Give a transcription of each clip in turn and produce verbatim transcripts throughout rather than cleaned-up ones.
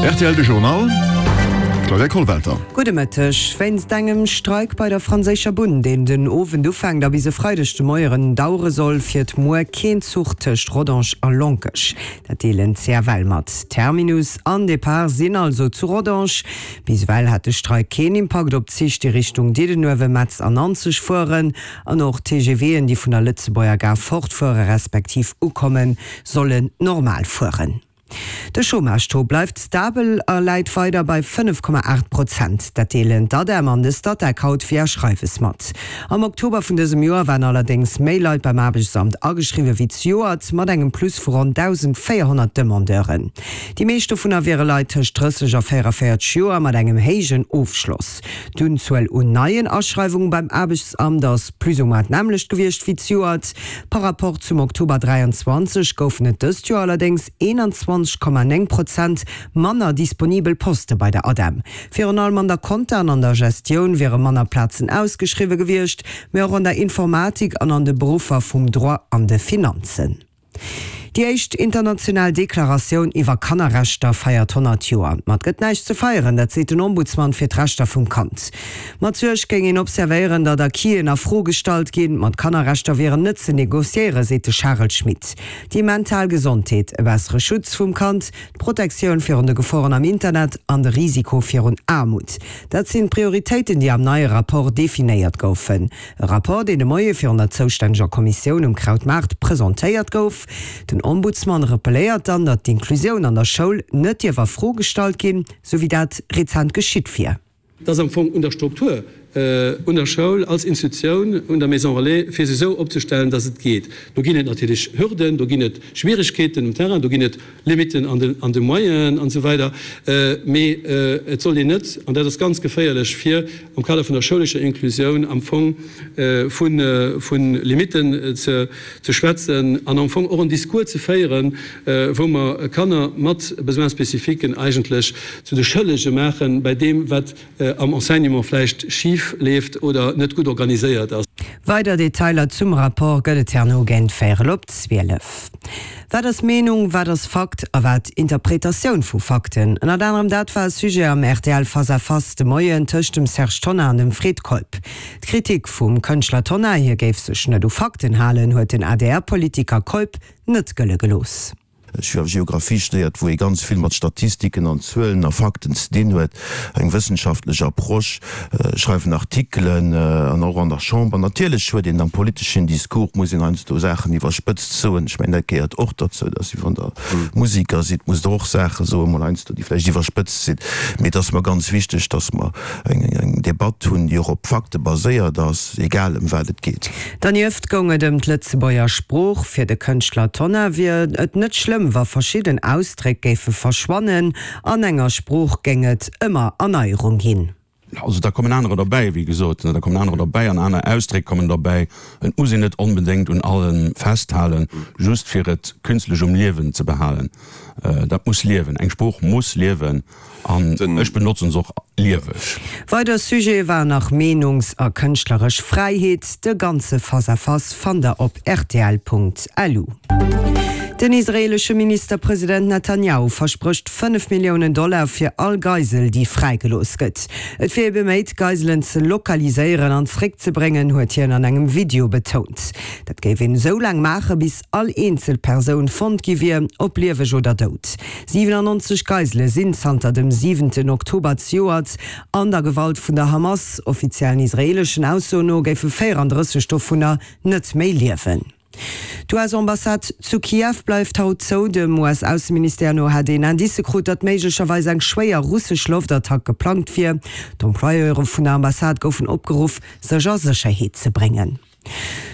Rtl De Journal, Claudia Kollwelter. Gudde Mëtteg. Wéinst engem Streik bei der franséischer Bunn, deen den Owend ufänkt a bis e Freideg de Moieren dauere soll, fiert muer keen Zuch tëscht Rodange a Lonkech. Dat deelen d'CFL mat. Terminus an Depart sinn also zu Rodange. Bis ewell hat de Streik keen Impakt op d'Zich, déi Richtung Diddenuewen, Metz an Nanzeg fueren. An och d'TGVen, déi vun der Lëtzebuerger Gare fortfuere respektiv ukommen, sollen normal fueren. De Chômage-Taux bleift stabel a läit weider bei fënnef Komma aacht Prozent. Dat deelen d'ADEM an de Statec haut via Schreiwes mat. Am Oktober vun dësem Joer waren allerdéngs méi Leit beim Aarbechtsamt ageschriwwe wéi zejoert, mat engem Plus vu ronn dausendvéierhonnert Demandeuren. Déi meescht dovunner wiere Leit tëscht drësseg a véierunvéierzeg Joer mat engem héijen Ofschloss. D'Unzuel un neien Aschreiwunge beim Aarbechtsamt ass plus ou moins d'nämmlecht gewiescht wéi zejoert. Par Rapport zum Oktober dräianzwanzeg goufen et dëst Joer allerdéngs eenanzwanzeg Komma néng Prozent manner disponibel Poste bei der ADEM. Virun allem an der Compta an an der Gestioun wiere manner Plazen ausgeschriwwe gewiescht, mee och an der Informatik an an de Beruffer vum Droit an de Finanzen. Déi éischt international Deklaratioun iwwer Kannerrechter feiert honnert Joer. Ma et gëtt näischt ze feieren, dat seet den Ombudsman fir d'Rechter vum Kand. Mat Suerg géing een observéieren, datt Acquisen a Fro gestallt ginn. Ma d'Kannerrechter wieren net ze negociéieren, seet de Charel Schmit. Déi mental Gesondheet, e bessere Schutz vum Kand, d'Protektioun virun de Geforen am Internet an de Risiko virun Aarmut, dat sinn d'Prioritéiten, déi am neie Rapport definéiert goufen. E Rapport, deen de Moie virun der zoustänneger Kommissioun um Krautmaart presentéiert gouf. Den Ombudsman rappelléiert dann, datt d'Inklusioun an der Schoul net dierf a Fro gestallt ginn, sou wéi dat rezent geschitt wier. Et ass am Fong un der Struktur, un der Schoul als Institutioun, un der Maison relais, fir se esou opzestellen, dass et geet. Do ginn et natierlech Hürden, do ginn et Schwierigkeeten um Terrain, do ginn et Limiten an de Moyenen an esou weider. Mee et sollt een net, an dat ass ganz geféierlech, fir am Kader vun der schoulescher Inklusioun am Fong vu Limiten ze schwätzen an am Fong och en Discours ze féieren, wou mer Kanner mat Besoins spécifiques eigentlech zu de Schëllege maache bei deem, wat am Enseignement vläicht schif leeft oder net gutt organiséiert ass. Weider Detailer zum Rapport gëtt et herno géint véierel op zwielef. Wat ass Meenung, wat ass Fakt a wat Interpretatioun vu Fakten? Ënnert anerem dat war e Sujet am rtl Face à Face de Moien tëscht dem Serge Tonnar an dem Fred Keup. D'Kritik vum Kënschtler Tonnar, hie géif sech net u Fakten halen, huet den A D R Politiker Keup net gëlle gelooss. Ech hu Geographie studéiert, wou ee ganz vill mat Statistiken an Zuelen a Fakten ze dinn huet, eng wëssenschaftlech Approche, schreiwen Artikelen an och an der Chamber. Natierlech huet een am politeschen Discours, muss een heiansdo Saachen iwwerspëtzt soen. Ech mengen, dat gehéiert och derzou, dass wéi wann Der Musiker sidd, musst Der och Saache soen, mol heiansdo, déi vläicht iwwerspëtzt sinn. Mee et ass mer ganz wichteg, dass mer eng Debatt hunn, déi och op Fakte baséiert ass, egal ëm wat et geet. Dernieft goung et ëm d'Lëtzebuerger Sprooch. Fir de Kënschtler Tonnar wier et net schlëmm, wa verschidden Ausdréck géife verschwannen. An enger Sprooch géing et ëmmer Erneierung ginn. Also da kommen anerer derbäi, wéi gesot, da kommen anerer derbäi an aner Ausdréck kommen derbäi. Et muss een net onbedéngt un allem festhalen, just fir et künstlech um Liewen ze behalen. Dat muss liewen, eng Sprooch muss liewen an ech benotzen se och lieweg. Weider Sujete waren nach Meenungs a kënschtleresch Fräiheet. De ganze Face-à-Face fannt der op rtl Punkt lu. Den israeelesche Ministerpresident Netanjahu versprécht fënnef Milliounen Dollar fir all Geisel, déi fräigelooss gëtt. Et wier ee beméit, d'Geiselen ze lokaliséieren an zeréckzebréngen, huet hien an engem Video betount. Dat géif een esou laang maachen, bis all eenzel Persoun fonnt gi wier, ob lieweg oder dout. siwenannonzeg Geisele sinn zanter dem siwenten Oktober zejoert an der Gewalt vun der Hamas. Offiziellen israeeleschen Aussoen no géife véierandrësseg dovunner net méi liewen. D'U S-Ambassade zu Kiew bleift haut zou. Dem U S-Ausseministère no hätt een Indicë krut, datt méiglecherweis eng schwéier russesch Loftattack geplangt wier. D'Employeure vun der Ambassade goufen opgeruff, sech a Sécherheet ze bréngen.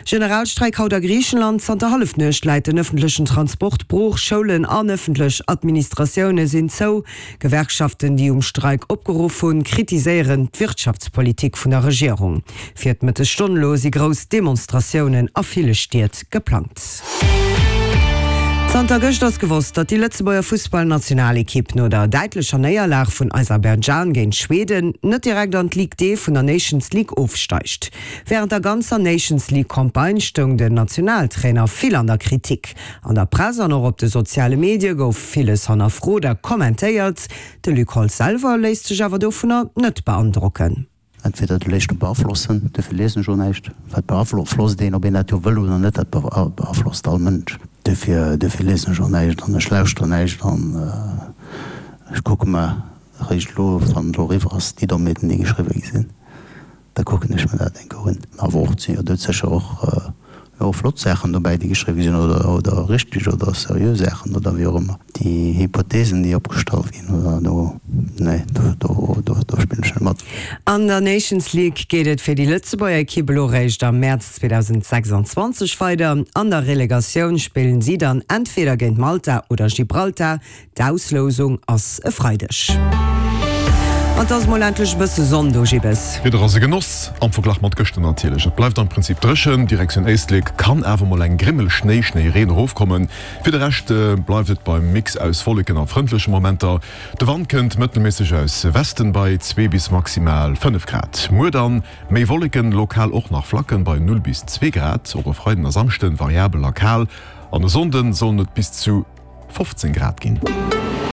Generalstreik haut a Griichenland. Zanter Hallefnuecht läit den ëffentlechen Transport brooch, Schoulen an ëffentlech Administratioune sinn zou. Gewerkschaften, déi um Streik opgeruff hunn, kritiséieren d'Wirtschaftspolitik vun der Regierung. Fir d'Mëttesstonn elo si grouss Demonstratiounen a ville Stied geplangt. Zanter gëscht ass gewosst, datt déi Lëtzebuerger Fussballnationalekipp no der däitlecher Néierlag vun Aserbaidschan géint Schweden net direkt an d'Ligue D vun der Nations League ofsteigt. Wärend der ganzer Nations League Campagne stoung den Nationaltrainer vill an der Kritik. An der Press an och op de soziale Medie gouf villes hannerfrot a kommentéiert. De Luc Holtz selwer léisst sech awer dovunner net beandrocken. Entweder du léisst dech beaflossen, duerfir liesen ech och näischt, wat beaflosst een, ob een dat jo wëll oder net, dat beaflosst all Mënsch. Duerfir, duerfir liesen ech och näischt an ech lauschteren näischt an ech kucke mer eréischt elo, wann et elo eriwwer ass, déi Dommheeten, déi geschriwwe gi sinn, da kucken ech mer dat eng Kéier un. Awer och, et sinn jo do sécher och jo flott Saachen dobäi, déi geschriwwe sinn oder, oder richteg oder seriö Saachen oder wéi och ëmmer. Déi Hypothesen, déi opgestallt ginn oder do, nee, do, do, do, do spillen ech net mat. An der Nations League geet et fir déi Lëtzebuerger Ekipp elo réischt am Mäerz zweedausendsechsanzwanzeg weider. An der Relegatioun spillen si dann entweder géint Malta oder Gibraltar. D'Auslousung ass e Freideg. An 't ass mol endlech e bësse Sonn do, Gibbes. D'Wieder ass e Genoss, am Verglach mat gëschter natierlech. Et bleift am Prinzip dréchen, Direktioun Éislek kann awer mol eng Grimmel Schnéi, Schnéireen erofkommen. Fir de Rescht bleift et beim Mix aus Wolleken a frëndleche Momenter. De Wand kënnt mëttelméisseg aus Westen bei zwee bis maximal fënnef Grad. Muer dann méi Wolleken, lokal och nach Flacken bei null bis zwee Grad. Och e Freiden a Samschden variabel a kal an e Sonnden sollen et bis zu fofzéng Grad ginn.